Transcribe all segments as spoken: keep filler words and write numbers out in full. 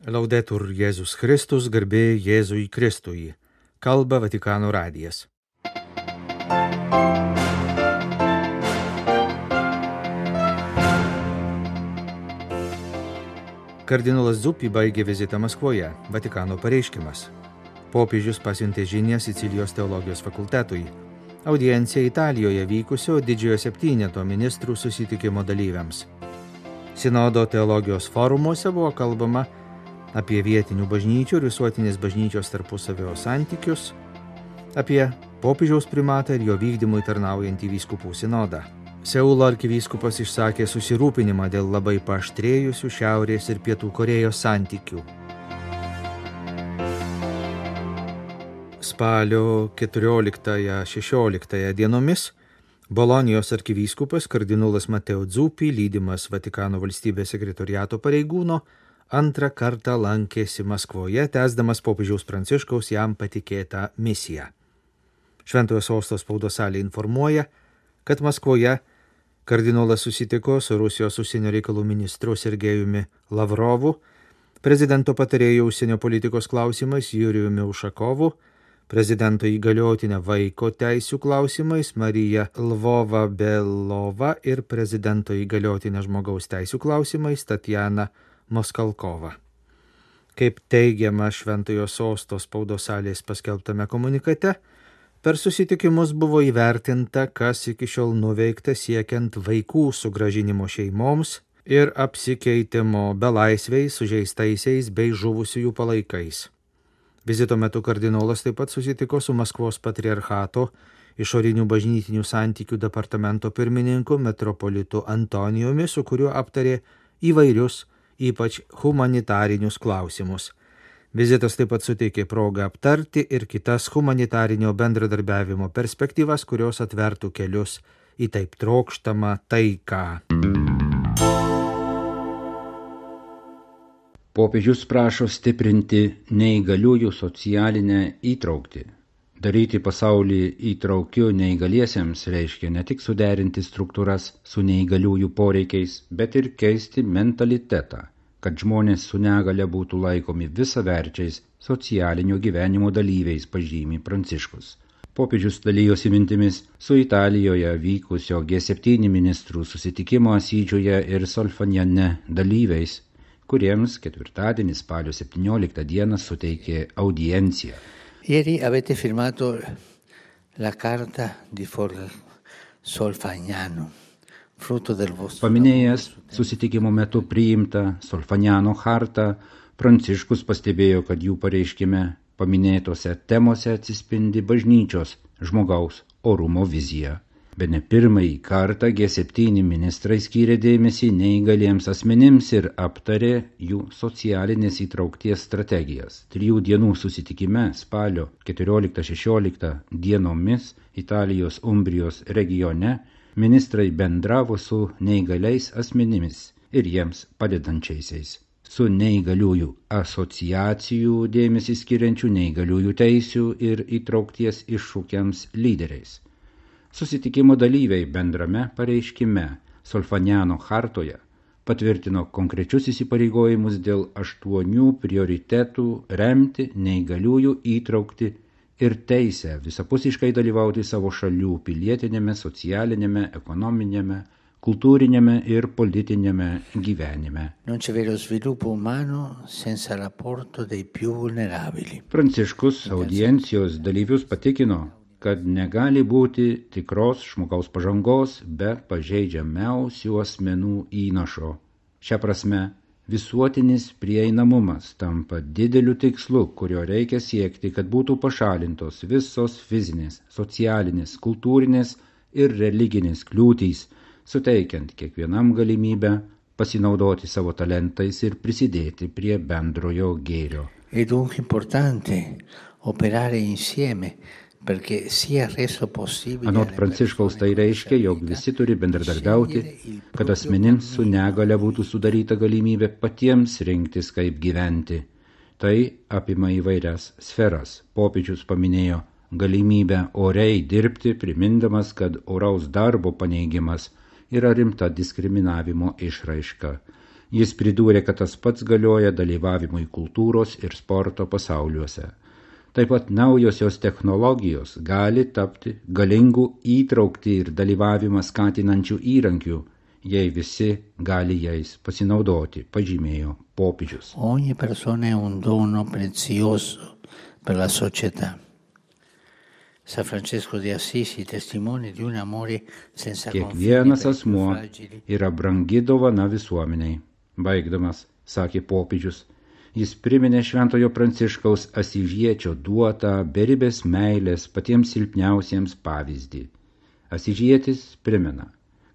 Laudetur Jėzus Kristus, garbė Jėzui Kristui. Kalba Vatikano radijas. Kardinolas Zuppi baigė vizitą Maskvoje. Vatikano pareiškimas. Popiežius pasiuntė žinią Sicilijos teologijos fakultetui. Audiencija Italijoje vykusio didžiojo septyneto ministrų susitikimo dalyviams. Sinodo teologijos forumuose buvo kalbama apie vietinių bažnyčių ir visuotinės bažnyčios tarpusavio santykius, apie popiežiaus primatą ir jo vykdymui tarnaujantį vyskupų sinodą. Seulo arkivyskupas išsakė susirūpinimą dėl labai paaštrėjusių Šiaurės ir Pietų Korėjos santykių. Spalio keturioliktąją šešioliktąją dienomis Bolonijos arkivyskupas kardinolas Mateo Zuppi, lydimas Vatikano valstybės sekretoriato pareigūno, antrą kartą lankėsi Maskvoje, tęsdamas popiežiaus Pranciškaus jam patikėtą misiją. Šventojo sosto spaudos salė informuoja, kad Maskvoje kardinolas susitiko su Rusijos užsienio reikalų ministru Sergejumi Lavrovu, prezidento patarėju užsienio politikos klausimais Jurijumi Ušakovu, prezidento įgaliotinę vaiko teisių klausimais Marija Lvova-Belova ir prezidento įgaliotinę žmogaus teisių klausimais Tatjana Moskalkova. Kaip teigiama Šventojo sosto spaudos salės paskelbtame komunikate, per susitikimus buvo įvertinta, kas iki šiol nuveikta siekiant vaikų sugrąžinimo šeimoms ir apsikeitimo belaisviais, sužeistaisiais bei žuvusiųjų palaikais. Vizito metu kardinolas taip pat susitiko su Maskvos patriarchato išorinių bažnytinių santykių departamento pirmininku metropolitu Antonijumi, su kuriuo aptarė įvairius, ypač humanitarinius klausimus. Vizitas taip pat suteikė progą aptarti ir kitas humanitarinio bendradarbiavimo perspektyvas, kurios atvertų kelius į taip trokštamą taiką. Popiežius prašo stiprinti neįgaliųjų socialinę įtrauktį. Daryti pasaulį įtraukiu neįgaliesiems reiškia ne tik suderinti struktūras su neįgaliųjų poreikiais, bet ir keisti mentalitetą, kad žmonės su negale būtų laikomi visaverčiais socialinio gyvenimo dalyviais, pažymi Pranciškus. Popiežius dalijosi mintimis su Italijoje vykusio G septyni ministrų susitikimo Asidžiuje ir Solfagnane dalyviais, kuriems ketvirtadienį spalio septynioliktą dieną suteikė audienciją. Ieri avete firmato la carta di Solfagnano, frutto del vostro... Paminėjęs susitikimo metu priimtą Solfagnano chartą, Pranciškus pastebėjo, kad jų pareiškime paminėtose temose atsispindi bažnyčios žmogaus orumo vizija. Bene pirmąjį kartą G septyni ministrai skyrė dėmesį neįgaliems asmenims ir aptarė jų socialinės įtraukties strategijas. Trijų dienų susitikime spalio keturioliktą šešioliktą dienomis Italijos Umbrijos regione ministrai bendravo su neįgaliais asmenimis ir jiems padedančiaisiais, su neįgaliųjų asociacijų dėmesį skiriančių neįgaliųjų teisių ir įtraukties iššūkiams lyderiais. Susitikimo dalyviai bendrame pareiškime Solfagnano chartoje patvirtino konkrečius įsipareigojimus dėl aštuonių prioritetų remti neįgaliųjų įtraukti ir teisę visapusiškai dalyvauti savo šalių pilietinėme, socialinėme, ekonominėme, kultūrinėme ir politinėme gyvenime. Non c'è vero sviluppo umano senza l'apporto dei più vulnerabili. Pranciškus audiencijos dalyvius patikino, kad negali būti tikros žmogaus pažangos be pažeidžiamiausių asmenų įnašo. Šia prasme, visuotinis prieinamumas tampa dideliu tikslu, kurio reikia siekti, kad būtų pašalintos visos fizinės, socialinės, kultūrinės ir religinės kliūtys, suteikiant kiekvienam galimybę pasinaudoti savo talentais ir prisidėti prie bendrojo gėrio. È dunque importante operare insieme. Anot Pranciškaus tai reiškia, jog visi turi bendradarbiauti, kad asmenims su negale būtų sudaryta galimybė patiems rinktis, kaip gyventi. Tai apima įvairias sferas. Popiežius paminėjo galimybę oriai dirbti, primindamas, kad oraus darbo paneigimas yra rimta diskriminavimo išraiška. Jis pridūrė, kad tas pats galioja dalyvavimui kultūros ir sporto pasauliuose. Taip pat naujosios technologijos gali tapti galingų įtraukti ir dalyvavimą skatinančių įrankių, jei visi gali jais pasinaudoti, pažymėjo popiežius. Ogni persona è un dono prezioso per la società. San Francesco di Assisi testimone di un amore senza confini. Kiekvienas asmuo yra brangi dovana visuomeniai. Baigdamas, sakė popiežius, jis priminė Šventojo Pranciškaus Asyžiečio duotą beribės meilės patiems silpniausiems pavyzdį. Asyžietis primena,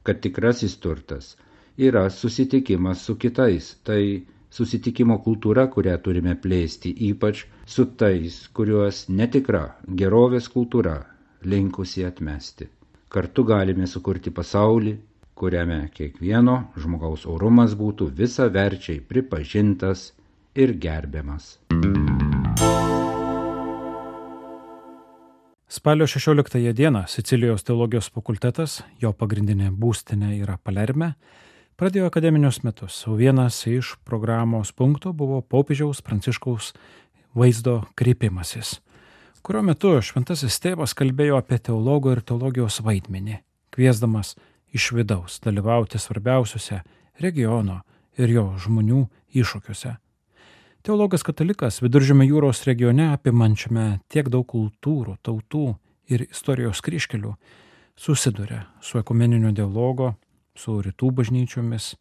kad tikrasis turtas yra susitikimas su kitais, tai susitikimo kultūra, kurią turime plėsti, ypač su tais, kuriuos netikra gerovės kultūra linkusi atmesti. Kartu galime sukurti pasaulį, kuriame kiekvieno žmogaus orumas būtų visaverčiai pripažintas ir gerbiamas. Spalio šešioliktąją dieną Sicilijos teologijos fakultetas, jo pagrindinė būstinė yra Palerme, pradėjo akademinius metus, o vienas iš programos punktų buvo popiežiaus Pranciškaus vaizdo kreipimasis, kurio metu šventasis tėvas kalbėjo apie teologo ir teologijos vaidmenį, kviesdamas iš vidaus dalyvauti svarbiausiuose regiono ir jo žmonių iššūkiuose. Teologas katalikas Viduržemio jūros regione apimančiame tiek daug kultūrų, tautų ir istorijos kryžkelių susiduria su ekumeninio dialogo, su rytų bažnyčiomis,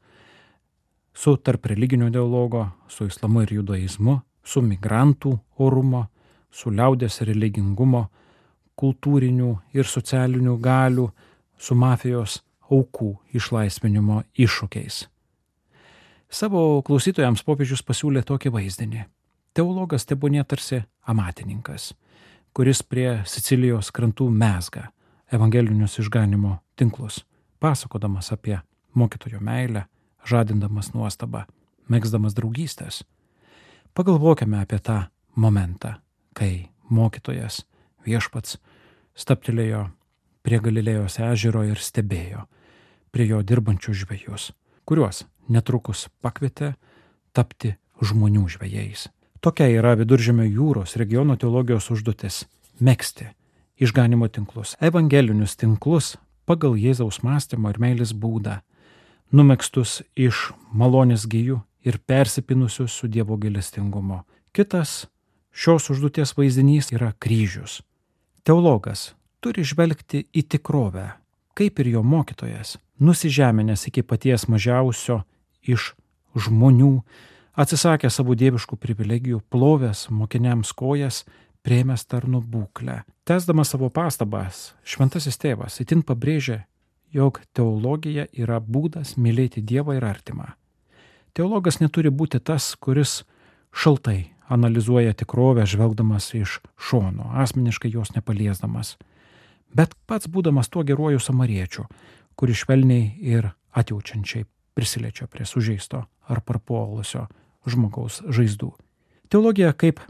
su tarp religinio dialogo, su islamu ir judaizmu, su migrantų orumo, su liaudės religingumo, kultūrinių ir socialinių galių, su mafijos aukų išlaisvinimo iššūkiais. Savo klausytojams popiežius pasiūlė tokį vaizdinį. Teologas tebūnie tarsi amatininkas, kuris prie Sicilijos krantų mezga evangelinius išganimo tinklus, pasakodamas apie mokytojo meilę, žadindamas nuostabą, megzdamas draugystės. Pagalvokime apie tą momentą, kai mokytojas viešpats stabtelėjo prie Galilėjos ežero ir stebėjo prie jo dirbančių žvejus, kuriuos netrukus pakvietė tapti žmonių žvejais. Tokia yra Viduržemio jūros regiono teologijos užduotis – megzti išganimo tinklus, evangelinius tinklus pagal Jėzaus mąstymo ir meilės būdą, numegztus iš malonės gijų ir persipinusius su Dievo gailestingumo. Kitas šios užduoties vaizdinys yra kryžius. Teologas turi žvelgti į tikrovę, kaip ir jo mokytojas, nusižeminęs iki paties mažiausio iš žmonių, atsisakė savo dieviškų privilegijų, plovęs mokiniams kojas, priėmęs tarno būklę. Tęsdamas savo pastabas, šventasis tėvas itin pabrėžė, jog teologija yra būdas mylėti Dievą ir artimą. Teologas neturi būti tas, kuris šaltai analizuoja tikrovę, žvelgdamas iš šono, asmeniškai jos nepaliesdamas, bet pats būdamas tuo geruoju samariečiu, kuris švelniai ir atjaučiančiai prisiliečia prie sužeisto ar parpuolusio žmogaus žaizdų. Teologija kaip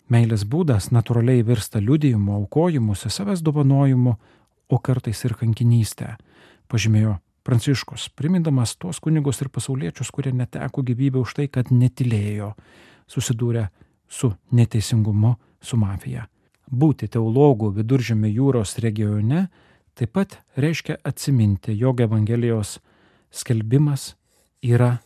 meilės būdas natūraliai virsta liudijimu, aukojimusi, savęs dovanojimu, o kartais ir kankinystę, pažymėjo Pranciškus, primindamas tuos kunigus ir pasauliečius, kurie neteko gyvybę už tai, kad netylėjo, susidūrė su neteisingumu, su mafija. Būti teologų Viduržemio jūros regione taip pat reiškia atsiminti, jog Evangelijos skelbimas yra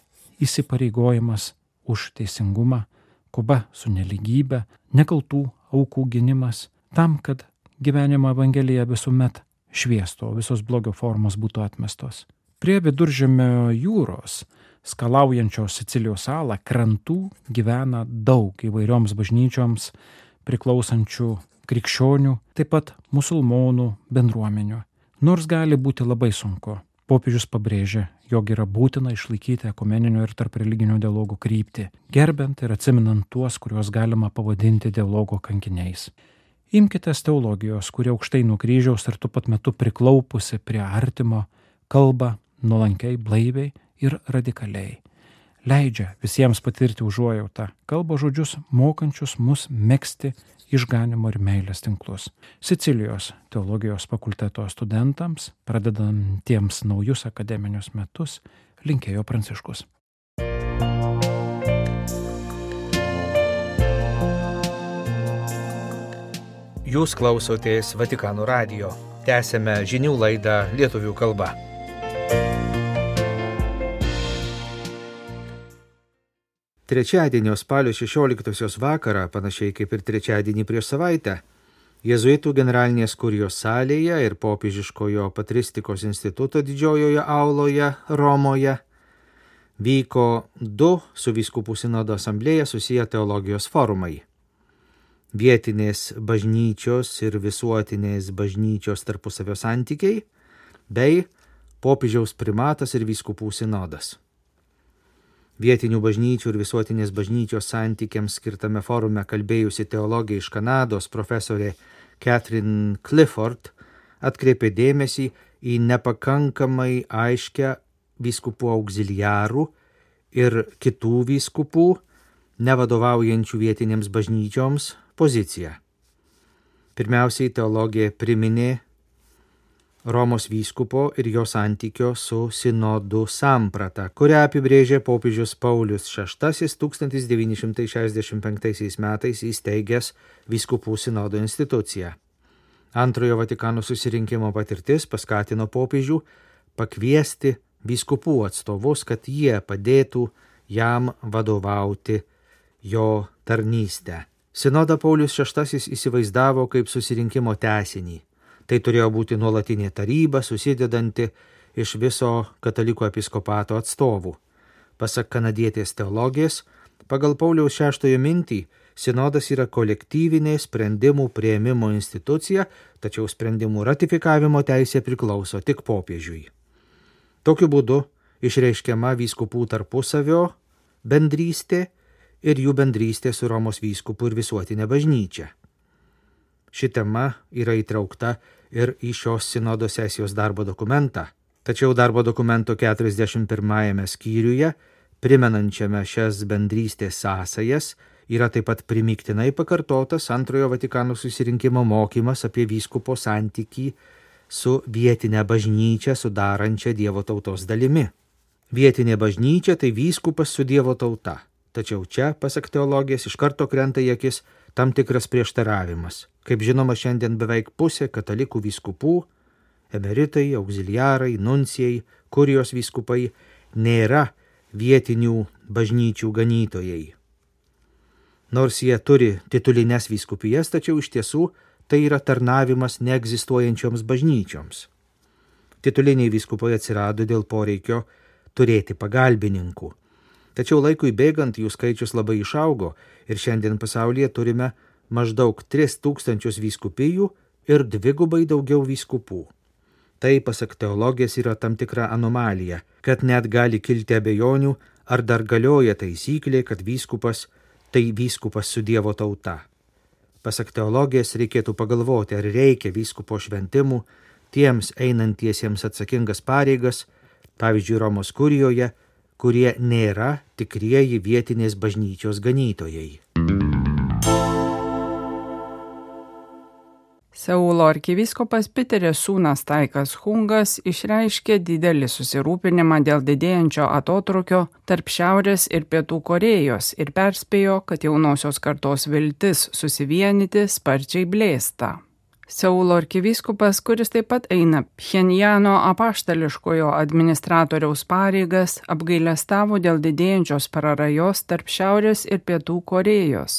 įsipareigojimas už teisingumą, kova su nelygybė, nekaltų aukų gynimas, tam, kad gyvenimo Evangelija visuomet šviesto, visos blogio formos būtų atmestos. Prie Viduržemio jūros, skalaujančios Sicilijos salą, krantų gyvena daug įvairioms bažnyčioms priklausančių krikščionių, taip pat musulmonų bendruomenių. Nors gali būti labai sunku, popiežius pabrėžė, jog yra būtina išlaikyti ekumeninio ir tarp religinio dialogo kryptį, gerbent ir atsiminant tuos, kuriuos galima pavadinti dialogo kankiniais. Imkitės teologijos, kurie aukštai nuo kryžiaus ir tuo pat metu priklaupusi prie artimo, kalba nuolankiai, blaiviai ir radikaliai. Leidžia visiems patirti užuojautą, kalba žodžius mokančius mus megzti išganimo ir meilės tinklus. Sicilijos teologijos fakulteto studentams, pradedantiems naujus akademinius metus, linkėjo Pranciškus. Jūs klausotės Vatikano radijo. Tęsėme žinių laidą lietuvių kalba. Trečiadienio spalio šešioliktosios vakarą, panašiai kaip ir trečiadienį prieš savaitę, Jėzuitų generalinės kurijos salėje ir popiežiškojo patristikos instituto didžiojoje auloje Romoje vyko du su vyskupų sinodo asamblėja susiję teologijos forumai. Vietinės bažnyčios ir visuotinės bažnyčios tarpusavio santykiai bei popiežiaus primatas ir vyskupų sinodas. Vietinių bažnyčių ir visuotinės bažnyčios santykiams skirtame forume kalbėjusi teologė iš Kanados profesorė Catherine Clifford atkreipė dėmesį į nepakankamai aiškę vyskupų auxiliarų ir kitų vyskupų, nevadovaujančių vietinėms bažnyčioms, poziciją. Pirmiausiai teologė priminė Romos vyskupo ir jo santykio su sinodų samprata, kurią apibrėžė popiežius Paulius šeštasis tūkstantis devyni šimtai šešiasdešimt penktaisiais metais įsteigęs vyskupų sinodo instituciją. Antrojo Vatikano susirinkimo patirtis paskatino popiežių pakviesti vyskupų atstovus, kad jie padėtų jam vadovauti jo tarnystę. Sinodą Paulius šeštasis įsivaizdavo kaip susirinkimo tęsinį. Tai turėjo būti nuolatinė taryba, susidedanti iš viso katalikų episkopato atstovų. Pasak kanadietės teologės, pagal Pauliaus šeštojo mintį, sinodas yra kolektyvinė sprendimų priėmimo institucija, tačiau sprendimų ratifikavimo teisė priklauso tik popiežiui. Tokiu būdu išreiškiama vyskupų tarpusavio bendrystė ir jų bendrystė su Romos vyskupu ir visuotinė bažnyčia. Ši tema yra įtraukta ir į šios sinodo sesijos darbo dokumentą. Tačiau darbo dokumento keturiasdešimt pirmajame skyriuje, primenančiame šias bendrystės sąsajas, yra taip pat primygtinai pakartotas Antrojo Vatikano susirinkimo mokymas apie vyskupo santykį su vietinė bažnyčia sudarančia Dievo tautos dalimi. Vietinė bažnyčia tai vyskupas su Dievo tauta. Tačiau čia, pasak teologės, iš karto krenta į akis tam tikras prieštaravimas. Kaip žinoma, šiandien beveik pusė katalikų vyskupų, emeritai, auxiliarai, nuncijai, kurijos vyskupai nėra vietinių bažnyčių ganytojai. Nors jie turi titulines vyskupijas, tačiau iš tiesų tai yra tarnavimas neegzistuojančioms bažnyčioms. Tituliniai vyskupai atsirado dėl poreikio turėti pagalbininkų. Tačiau laikui bėgant jų skaičius labai išaugo ir šiandien pasaulyje turime maždaug tris tūkstančius vyskupijų ir dvigubai daugiau vyskupų. Tai, pasak teologės, yra tam tikra anomalija, kad net gali kilti abejonių, ar dar galioja taisyklė, kad vyskupas tai vyskupas su Dievo tauta. Pasak teologės, reikėtų pagalvoti, ar reikia vyskupo šventimų tiems einantiesiems atsakingas pareigas, pavyzdžiui, Romos kurijoje, kurie nėra tikrieji vietinės bažnyčios ganytojai. Seulo arkivyskupas Piteris Sūnas Taikas Hungas išreiškė didelį susirūpinimą dėl didėjančio atotrūkio tarp Šiaurės ir Pietų Korėjos ir perspėjo, kad jaunosios kartos viltis susivienyti sparčiai blėsta. Seulo arkivyskupas, kuris taip pat eina Pchenjano apaštališkojo administratoriaus pareigas, apgailestavo dėl didėjančios prarajos tarp Šiaurės ir Pietų Korėjos.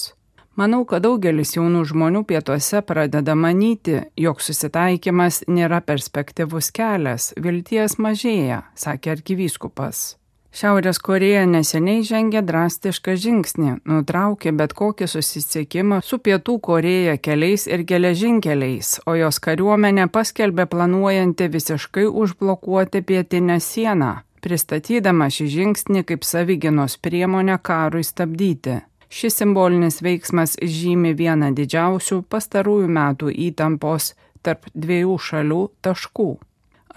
Manau, kad daugelis jaunų žmonių pietuose pradeda manyti, jog susitaikymas nėra perspektyvus kelias, vilties mažėja, sakė arkivyskupas. Šiaurės Korėja neseniai žengė drastišką žingsnį, nutraukė bet kokį susisiekimą su Pietų Korėja keliais ir geležinkeliais, o jos kariuomenė paskelbė planuojanti visiškai užblokuoti pietinę sieną, pristatydama šį žingsnį kaip savigynos priemonę karui stabdyti. Šis simbolinis veiksmas žymi vieną didžiausių pastarųjų metų įtampos tarp dviejų šalių taškų.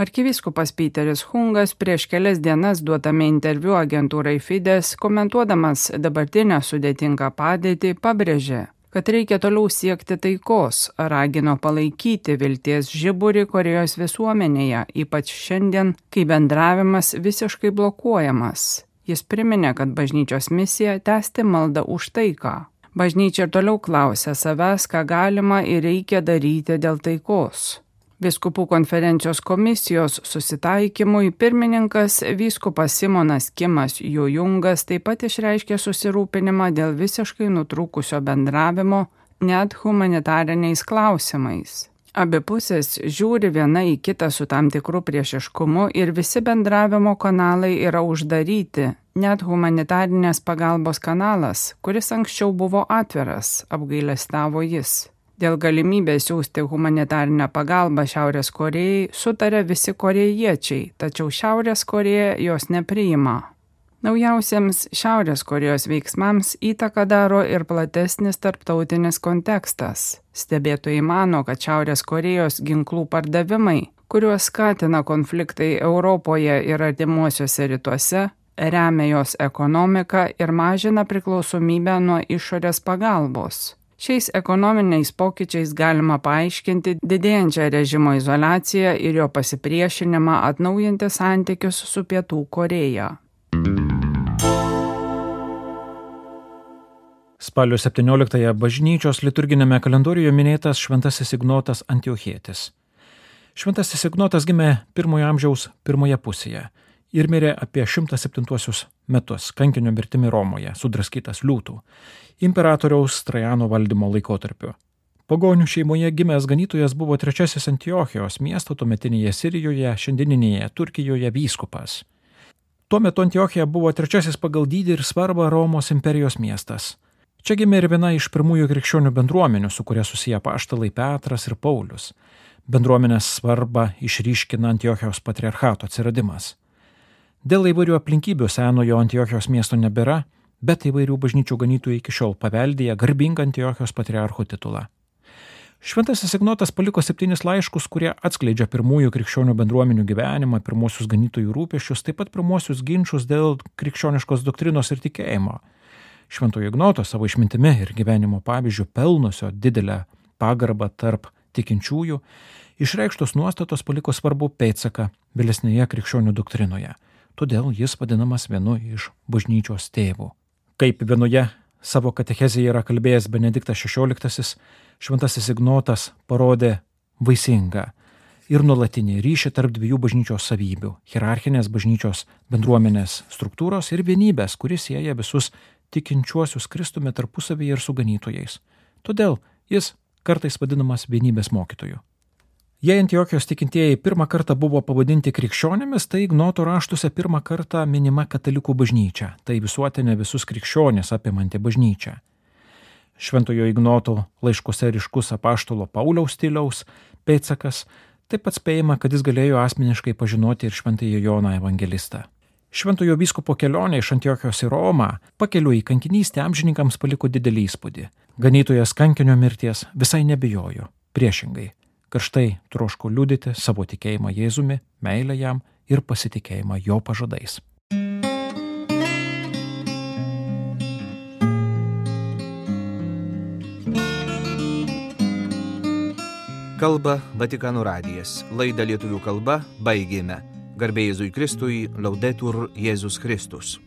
Arkivyskupas Piteris Hungas prieš kelias dienas duotame interviu agentūrai Fides, komentuodamas dabartinę sudėtingą padėtį, pabrėžė, kad reikia toliau siekti taikos, ragino palaikyti vilties žiburį Korėjos visuomenėje, ypač šiandien, kai bendravimas visiškai blokuojamas. Jis priminė, kad bažnyčios misija tęsti maldą už taiką. Bažnyčia ir toliau klausia savęs, ką galima ir reikia daryti dėl taikos. Vyskupų konferencijos komisijos susitaikymui pirmininkas vyskupas Simonas Kimas Jojungas taip pat išreiškė susirūpinimą dėl visiškai nutrūkusio bendravimo net humanitariniais klausimais. Abi pusės žiūri viena į kitą su tam tikru priešiškumu ir visi bendravimo kanalai yra uždaryti, net humanitarinės pagalbos kanalas, kuris anksčiau buvo atviras, apgailestavo jis. Dėl galimybės siųsti humanitarinę pagalbą Šiaurės Korėjai sutarė visi korėjiečiai, tačiau Šiaurės Korėja jos nepriima. Naujausiams Šiaurės Korėjos veiksmams įtaką daro ir platesnis tarptautinis kontekstas. Stebėtojai mano, kad Šiaurės Korėjos ginklų pardavimai, kuriuos skatina konfliktai Europoje ir artimuosiuose rytuose, remia jos ekonomiką ir mažina priklausomybę nuo išorės pagalbos. Šiais ekonominiais pokyčiais galima paaiškinti didėjančią režimo izoliaciją ir jo pasipriešinimą atnaujinti santykius su Pietų Korėja. Spalio septynioliktąją bažnyčios liturginėme kalendoriuje minėtas Šventasis Ignotas Antiochietis. Šventasis Ignotas gimė pirmojo amžiaus pirmoje pusėje ir mirė apie šimtas septintuosius metus kankinio mirtimi Romoje, sudraskytas liūtų, imperatoriaus Trajano valdymo laikotarpiu. Pagonių šeimoje gimęs ganytojas buvo trečiasis Antiochijos miesto tuometinėje Sirijoje, šiandieninėje Turkijoje vyskupas. Tuo metu Antiochija buvo trečiasis pagal dydį ir svarbą Romos imperijos miestas. Čia gimė ir viena iš pirmųjų krikščionių bendruomenių, su kuria susiję apaštalai Petras ir Paulius. Bendruomenės svarbą išryškina Antiochijos patriarchato atsiradimas. Dėl įvairių aplinkybių senojo Antiochijos miesto nebėra, bet įvairių bažnyčių ganytojai iki šiol paveldėja garbingą Antiochijos patriarcho titulą. Šventasis Ignotas paliko septynis laiškus, kurie atskleidžia pirmųjų krikščionių bendruomenių gyvenimą, pirmosius ganytojų rūpesčius, taip pat pirmosius ginčus dėl krikščioniškos doktrinos ir tikėjimo. Šventojo Ignoto savo išmintimi ir gyvenimo pavyzdžių pelnusio didelę pagarbą tarp tikinčiųjų, išreikštos nuostatos paliko svarbų pėdsaką vėlesnėje krikščionių doktrinoje. Todėl jis vadinamas vienu iš bažnyčios tėvų. Kaip vienoje savo katechezėje yra kalbėjęs Benediktas šešioliktasis, Šventasis Ignotas parodė vaisingą ir nuolatinį ryšį tarp dviejų bažnyčios savybių – hierarchinės bažnyčios bendruomenės struktūros ir vienybės, kuris sieja visus tikinčiuosius Kristumi tarpusavyje ir su ganytojais. Todėl jis kartais vadinamas vienybės mokytoju. Jei Antiochijos tikintieji pirmą kartą buvo pavadinti krikščionimis, tai Ignoto raštuose pirmą kartą minima katalikų bažnyčia, tai visuotinė visus krikščionis apimanti bažnyčia. Šventojo Ignoto laiškuose ryškus apaštalo Pauliaus stiliaus pėdsakas, taip pat spėjama, kad jis galėjo asmeniškai pažinoti ir šventąjį Joną evangelistą. Šventojo vyskupo kelionė iš Antiochijos į Romą pakeliui į kankinystę amžininkams paliko didelį įspūdį. Ganytojas kankinio mirties visai nebijojo, priešingai. Karštai troško liudyti savo tikėjimą Jėzumi, meilę jam ir pasitikėjimą jo pažadais. Kalba Vatikano radijas. Laidą lietuvių kalba baigėme. Garbė Jėzui Kristui, Laudetur Jėzus Kristus.